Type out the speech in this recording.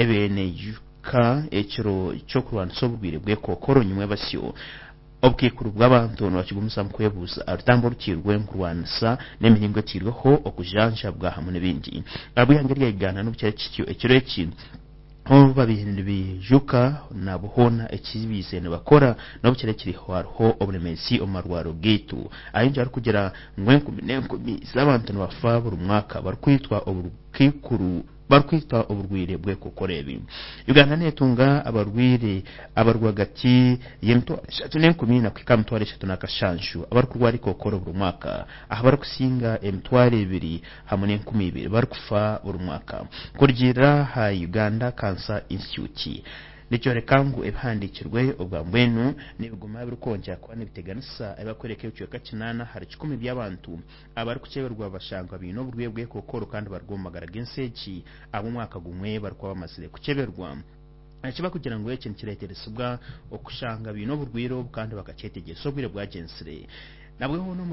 Ebaire neijuka ekiro ky'okurwanisa oburwaire bw'ekookoro nyimwebasyo. Obukaikuru bw'abantu nibakigumizamu kwebuuza aha rutambi oruteirwe omu kurwanisa n'emiringo eteirweho okujanjabwa hamwe n'ebindi. Ahabw'eihanga erya Uganda n'obu kiri kityo ekiro eki obu babaire nibaijuka nabo hoona eki baizire nibakora n'obu kiri kiri hariho oburemeezi omu marwariro gaitu. Ahingi arikugira ngu enkumi n'enkumi z'abantu nibafa buri mwaka barikwitwa obukaikuru barikwitwa oburwaire bw'ekookoro ebi. Uganda neetunga abarwaire abari rwagati y'emitwaro 3 n'enkumi kuhika aha 3700 abarikurwara ekookoro buri mwaka aha barikusinga 2120 barikufa buri mwaka. Kurugiirira aha Uganda Cancer Institute nikyoreka ngu ebihandiikirwe obwa mbwenu nibiguma birikwongyera kuba nibiteganisa ahi barikworeka ebicweka 80 by'abantu abarikukyeberwa bashangwa baine oburwaire bw'ekookoro kandi bari omu magara g'ensi egi ab'omwaka gumwe barikuba bamazire kukyeberwa. Ekibarikugira ngu eki nikireeteresibwa okushanga baine oburwaire obu kandi bakakyetegyereza obwire bwagyenzire. Nabwe hoona omuri.